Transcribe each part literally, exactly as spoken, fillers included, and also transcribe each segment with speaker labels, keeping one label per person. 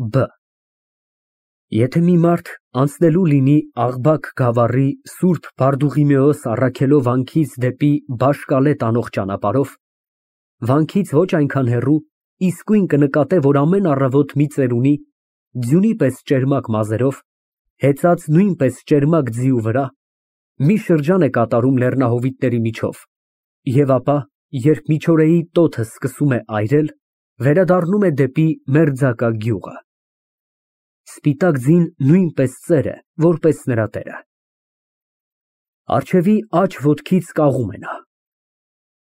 Speaker 1: Բ Եթե մի մարդ անցնելու լինի Աղբակ գավառի Սուրբ Բարդուղիմեոս առաքելով վանքից դեպի Բաշ֊Կալե տանող ճանապարհով, վանքից ոչ այնքան հեռու, իսկույն կնկատե, որ ամեն առավոտ մի ծերունի, ձյունի պես ճերմակ մազերով, հեծած նույնպես ճերմակ ձիու վրա, մի շրջան է կատարում լեռնահովիտների միջով, և ապա, երբ միջօրեի տոթը սկսում է այրել, վերադառնում է դեպի մերձակա գյուղը։ Սպիտակ ձին նույնպես ծեր է, որպես նրա տերը։ Առջևի աջ ոտքից կաղում է նա։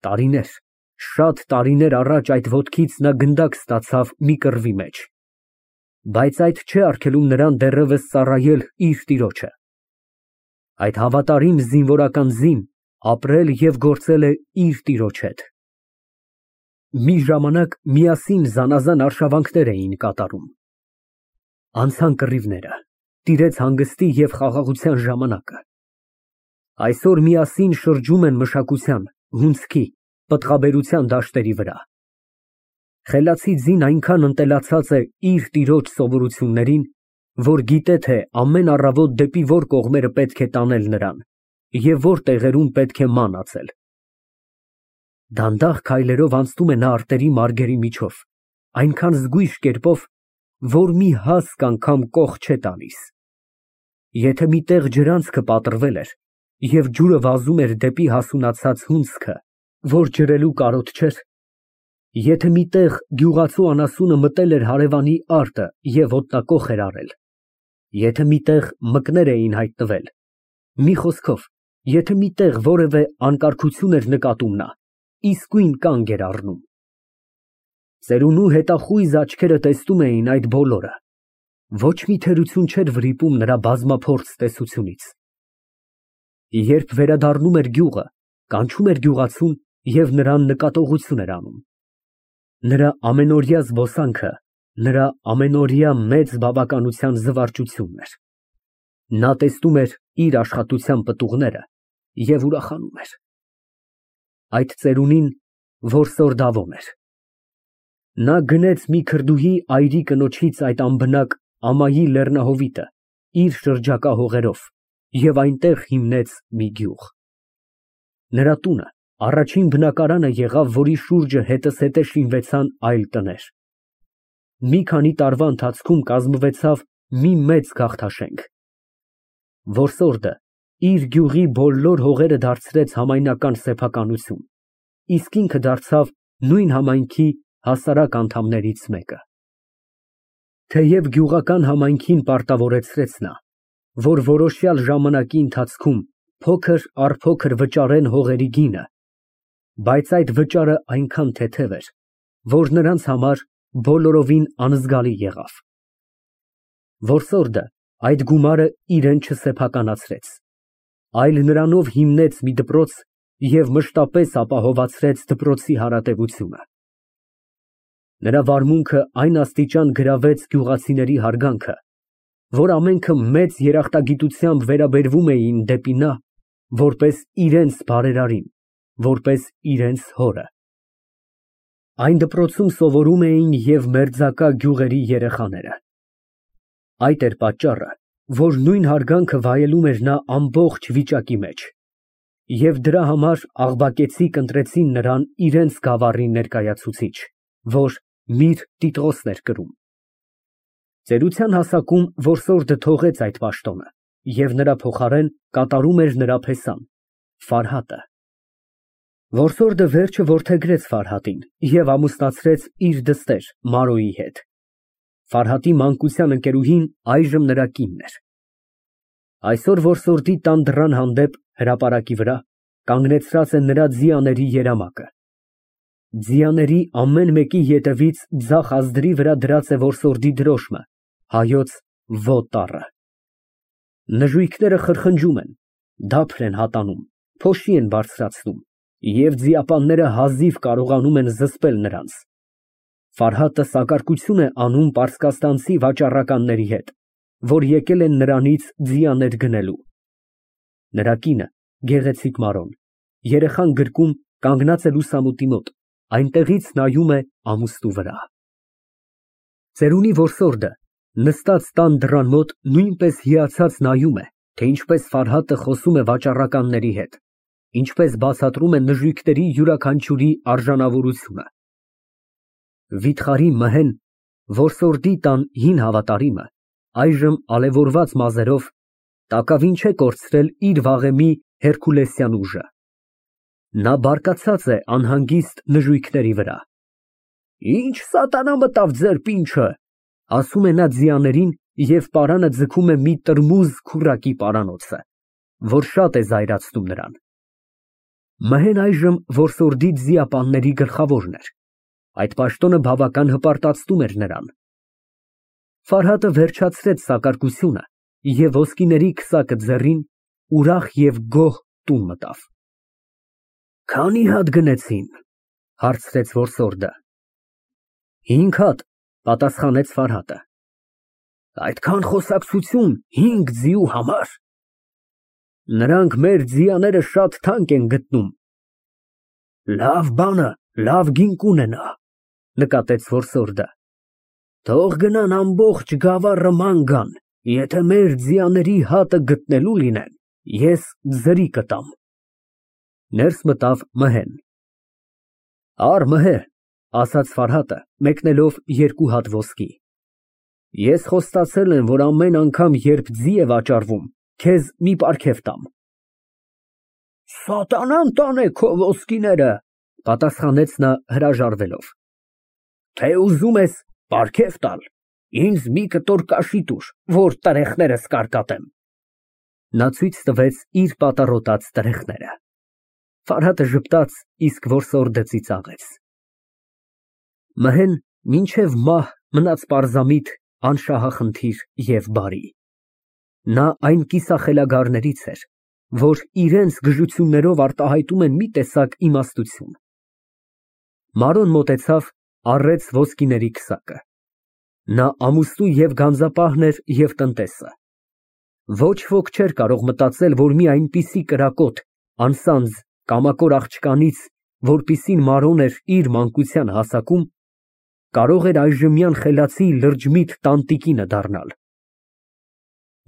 Speaker 1: Տարիներ, շատ տարիներ առաջ այդ ոտքից նա գնդակ ստացավ մի կռվի մեջ, բայց այդ չէ արգելում նրան դեռևս ծառայել իր տիրոջը։ Այդ հավատարիմ զինվորական ձին ապրել և գործել է իր տիրոջ հետ։ Մի ժամանակ միասին զանազան արշավանքներ էին կատարում։ Անցան կռիվները, տիրեց հանգստի և խաղաղության ժամանակը։ Այսօր միասին շրջում են մշակության, հունձքի, պտղաբերության դաշտերի վրա։ Խելացի ձին այնքան ընտելացած է իր տիրոջ սովորություններին, որ գիտե, թե ամեն առավոտ դեպի որ կողմերը պետք է տանել նրան և որ տեղերում պետք է ման ածել։ Դանդաղ քայլերով անցնում է նա արտերի մարգերի միջով, այնքան զգույշ կերպով, որ մի հասկ անգամ կող չէ տալիս։ Եթե մի տեղ ջրանցքը պատռվել էր և ջուրը վազում էր դեպի հասունացած հունձքը, որ ջրելու կարոտ չէր, եթե մի տեղ գյուղացու անասունը մտել էր հարևանի արտը և ոտնակոխ էր արել, եթե մի տեղ մկներ էին հայտնվել, մի խոսքով, եթե մի տեղ որևէ անկարգություն էր նկատում նա, իսկույն կանգ էր առնում։ Ծերունու հետախույզ աչքերը տեսնում էին այդ բոլորը, ոչ մի թերություն չէր վրիպում նրա բազմափորձ տեսությունից։ Երբ վերադառնում էր գյուղը, կանչում էր գյուղացուն և նրան նկատողություն էր անում։ Նրա ամենօրյա զբոսանքը նրա ամենօրյա մեծ բավականության զվարճությունն էր։ Նա տեսնում էր իր աշխատության պտուղները և ուրախանում էր։ Այդ ծերունին որսորդավոն էր։ Նա գնեց մի քրդուհի այրի կնոջից այդ անբնակ ամայի լեռնահովիտը իր շրջակա հողերով և այնտեղ հիմնեց մի գյուղ։ Նրա տունը առաջին բնակարանը եղավ, որի շուրջը հետզհետե շինվեցան այլ տներ։ Մի քանի տարվա ընթացքում կազմվեցավ մի մեծ գաղթաշենք։ Որսորդը իր գյուղի բոլոր հողերը դարձրեց համայնական սեփականություն, իսկ ինքը դարձավ նույն համայնքի հասարակ անդամներից մեկը։ Թեև գյուղական համայնքին պարտավորեցրեց նա, որ որոշյալ ժամանակի ընթացքում փոքր առ փոքր վճարեն հողերի գինը, բայց այդ վճարը այնքան թեթև էր, որ նրանց համար բոլորովին անզգալի եղավ։ Որսորդը այդ գումարը իրեն չսեփականացրեց, այլ նրանով հիմնեց մի դպրոց և մշտապես ապահովացրեց դպրոցի հարատևությունը։ Նրա վարմունքը այն աստիճան գրավեց գյուղացիների հարգանքը, որ ամենքը մեծ երախտագիտությամբ վերաբերվում էին դեպի նա, որպես իրենց բարերարին, որպես իրենց հորը։ Այն դպրոցում սովորում էին և մերձակա գյուղերի երեխաները։ Այդ էր պատճառը, որ նույն հարգանքը վայելում էր նա ամբողջ վիճակի մեջ, և դրա համար աղբակեցիք ընտրեցին նրան իրենց գավառի ներկայացուցիչ, որ Միր Տիտղոսն էր կրում։ Ծերության հասակում որսորդը թողեց այդ պաշտոնը և նրա փոխարեն կատարում էր նրա փեսան՝ Ֆարհատը։ Որսորդը վերջը որդեգրեց Ֆարհատին և ամուսնացրեց իր դստեր Մարոյի հետ։ Ֆարհատի մանկության ընկերուհին այժմ նրա կինն էր։ Այսօր որսորդի տան դռան հանդեպ, հրապարակի վրա, կանգնեցրած է նրա ձիաների երամակը։ Ձիաների ամեն մեկի ետևից ձախ ազդրի վրա դրած է որսորդի դրոշմը, հայոց Վո տառը։ Նժույգները խրխնջում են, դափր են հատանում, փոշի են բարձրացնում, և ձիապանները հազիվ կարողանում են զսպել նրանց։ Ֆարհատը սակարկություն է անում պարսկաստանցի վաճառականների հետ, որ եկել են նրանից ձիաներ գնելու։ Նրա կինը, գեղեցիկ Մարոն, երեխան գրկում, կանգնած է լուսամուտի մոտ, այնտեղից նայում է ամուստու վրա։ Ծերունի որսորդը Նստած տան դռան մոտ նույնպես հիացած նայում է, թե ինչպես Ֆարհատը խոսում է վաճառականների հետ, ինչպես բացատրում է նժույգների յուրաքանչյուրի արժանավորությունը։ Վիթխարի Մհեն, որսորդի տան հին հավատարիմը, այժմ ալևորված մազերով տակավին չէ կորցրել իր վաղեմի հերկուլեսյան ուժը։ Նա բարկացած է անհանգիստ նժույգների վրա։ Ինչ սատանա մտավ ձեր պինչը, ասում է նա ձիաներին և պարանը ձգում է մի տրմուզ քուռակի պարանոցը, որ շատ է զայրացնում նրան։ Մհեն այժմ որսորդի ձիապանների գլխավորն էր, այդ պաշտոնը բավական հպարտացնում էր նրան։ Ֆարհատը վերջացրեց սակարկությունը և ոսկիների քսակը ձեռին ուրախ և գոհ տուն մտավ։ Քանի հատ գնեցին, հարցրեց որսորդը։ Հինգ հատ, պատասխանեց Ֆարհատը։ Այդքան խոսակցություն հինգ ձիու համար։ Նրանք մեր ձիաները շատ թանկ են գտնում։ Լավ բանը լավ գին կունենա, նկատեց որսորդը։ Թող գնան ամբողջ գավառը ման գան, եթե մեր ձիաների հատը գտնելու լինեն, ես ձրի կտամ։ Ներս մտավ Մհեն։ Առ Մհե, ասաց Ֆարհատը, մեկնելով երկու հատ ոսկի։ Ես խոստացել եմ, որ ամեն անգամ, երբ ձի է վաճառվում, քեզ մի պարգև տամ։ Սատանան տանե քո ոսկիները, պատասխանեց նա հրաժարվելով։ Թե ուզում ես պարգև տալ, ինձ մի կտոր կաշի տուր, որ տրեխներս կարկատեմ։ Նա ցույց տվեց իր պատառոտած տրեխները։ Ֆարհատը ժպտաց, իսկ որսորդը ծիծաղեց։ Մհեն մինչև մահ մնաց պարզամիտ, անշահախնդիր և բարի։ Նա այն կիսախելագարներից էր, որ իրենց գժություններով արտահայտում են մի տեսակ իմաստություն։ Մարոն մոտեցավ, առեց ոսկիների քսակը։ Նա ամուսնու և գանձապահն էր և տնտեսը։ Ոչ ոք չէր կարող մտածել, որ մի այնպիսի կրակոտ, անսանձ կամակոր աղջկանից, որպիսին Մարոն էր իր մանկության հասակում, կարող էր այժմյան խելացի լրջմիտ տանտիկինը դառնալ։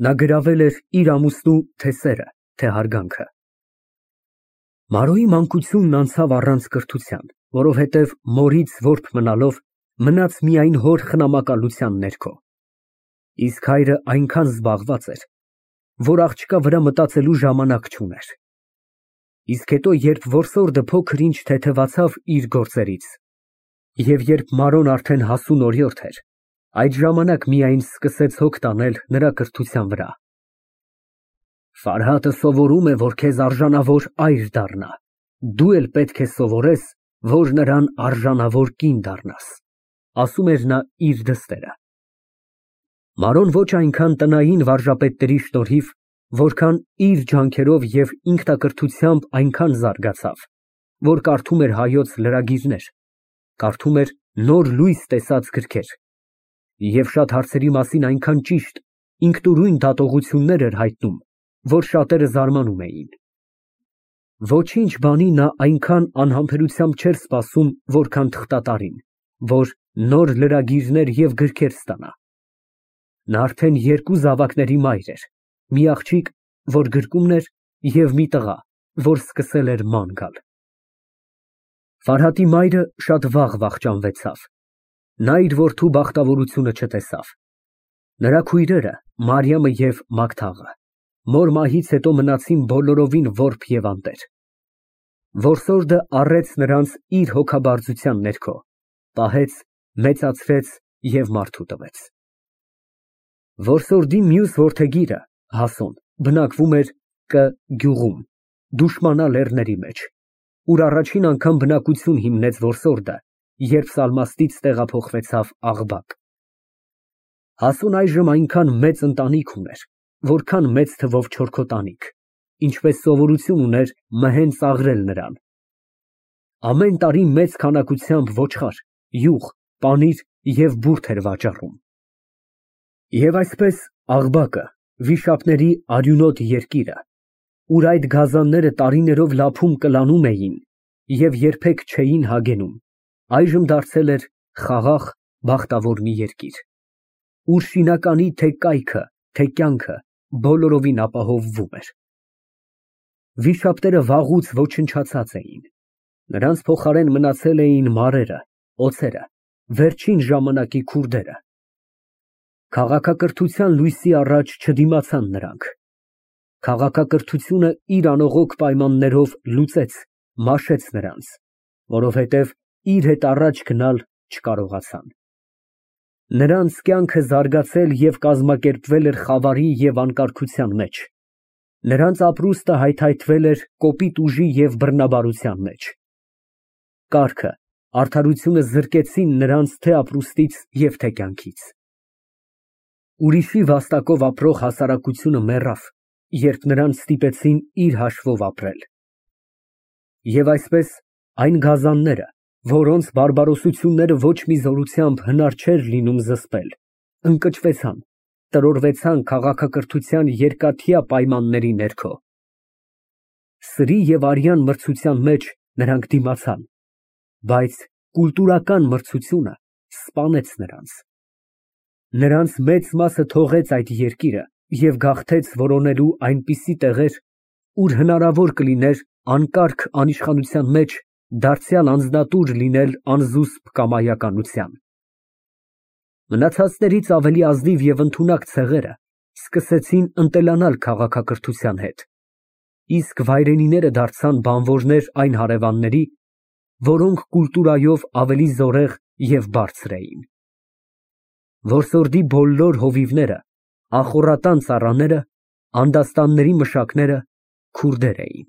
Speaker 1: Նա գրավել էր իր ամուսնու թե սերը, թե հարգանքը։ Մարոյի մանկությունն անցավ առանց կրթության, որովհետև մորից որբ մնալով մնաց միայն հոր խնամակալության ներքո։ Իսկ հայրը այնքան զբաղված էր, որ աղջկա վրա մտածելու ժամանակ չուներ։ Իսկ հետո, երբ որսորդը փոքր-ինչ թեթևացավ իր գործերից, և երբ Մարոն արդեն հասուն օրիորդ էր, այդ ժամանակ միայն սկսեց հոգ տանել նրա կրթության վրա։ Ֆարհատը սովորում է, որ քեզ արժանավոր այր դառնա, դու էլ պետք է սովորես, որ նրան արժանավոր կին դառնաս, ասում էր նա իր դստերը։ Մարոն ոչ այնքան տնային վարժապետների շնորհիվ, որքան իր ջանքերով և ինքնակրթությամբ այնքան զարգացավ, որ կարդում էր հայոց լրագիրներ, կարդում էր նոր լույս տեսած գրքեր և շատ հարցերի մասին այնքան ճիշտ, ինքնուրույն դատողություններ էր հայտնում, որ շատերը զարմանում էին։ Ոչինչ բանի նա այնքան անհամբերությամբ չէր սպասում, որքան թղթատարին, որ նոր լրագիրներ և գրքեր ստանա։ Նա արդեն երկու զավակների մայր էր, մի աղջիկ, որ գրկումն էր, և մի տղա, որ սկսել էր ման գալ։ Ֆարհատի մայրը շատ վաղ վախճանվեցավ։ Նա իր որդու բախտավորությունը չտեսավ։ Նրա քույրերը Մարիամը և Մագդաղը մոր մահից հետո մնացին բոլորովին որբ և անտեր։ Որսորդը առեց նրանց իր հոգաբարձության ներքո, պահեց, մեծացրեց և մարդու տվեց։ Որսորդի մյուս որդեգիրը Հասոն բնակվում էր Կ գյուղում, Դուշմանա լեռների մեջ, ուր առաջին անգամ բնակություն հիմնեց որսորդը, երբ Սալմաստից տեղափոխվեցավ Աղբակ։ Հասոն այժմ այնքան մեծ ընտանիք ուներ, որքան մեծ թվով չորքոտանիք, ինչպես սովորություն ուներ Մհեն ծաղրել նրան։ Ամեն տարի մեծ քանակությամբ ոչխար, յուղ, պանիր և բուրդ էր վաճառում։ Եվ այսպես Աղբակը, վիշապների արյունոտ երկիրը, ուր այդ գազանները տարիներով լափում կլանում էին և երբեք չէին հագենում, այժմ դարձել էր խաղաղ, բախտավոր մի երկիր, ուր շինականի թե կայքը, թե կյանքը բոլորովին ապահովվում էր։ Վիշապները վաղուց ոչնչացած էին, նրանց փոխարեն մնացել էին մարերը, օձերը, վերջին ժամանակի քուրդերը։ Քաղաքակրթության լույսի առաջ չդիմացան նրանք։ Քաղաքակրթությունը իր անողոք պայմաններով լուծեց, մաշեց նրանց, որովհետև իր հետ առաջ գնալ չկարողացան։ Նրանց կյանքը զարգացել և կազմակերպվել էր խավարի և անկարգության մեջ։ Նրանց ապրուստը հայթայթվել էր կոպիտ ուժի և բռնաբարության մեջ։ Կառքը, արդարությունը զրկեցին նրանց թե ապրուստից և թե կյանքից։ Ուրիշի վաստակով ապրող հասարակությունը մեռավ, երբ նրանց ստիպեցին իր հաշվով ապրել։ Եվ այսպես այն գազանները, որոնց բարբարոսությունները ոչ մի զորությամբ հնար չէր լինում զսպել, ընկճվեցան, տրորվեցան քաղաքակրթության երկաթյա պայմանների ներքո։ Սրի և արյան մրցության մեջ նրանք դիմացան, բայց կուլտուրական մրցությունը սպանեց նրանց։ Նրանց մեծ մասը թողեց այդ երկիրը և գաղթեց որոնելու այնպիսի տեղեր, ուր հնարավոր կլիներ անկարգ անիշխանության մեջ դարձյալ անձնատուր լինել անզուսպ կամայականության։ Մնացածներից ավելի ազնիվ և ընդունակ ցեղերը սկսեցին ընտելանալ քաղաքակրթության հետ, իսկ վայրենիները դարձան բանվորներ այն հարևանների, որոնք կուլտուրայով ավելի զորեղ և բարձր էին։ Որսորդի բոլոր հովիվները, ախոռատան ծառաները, անդաստանների մշակները քուրդեր էին։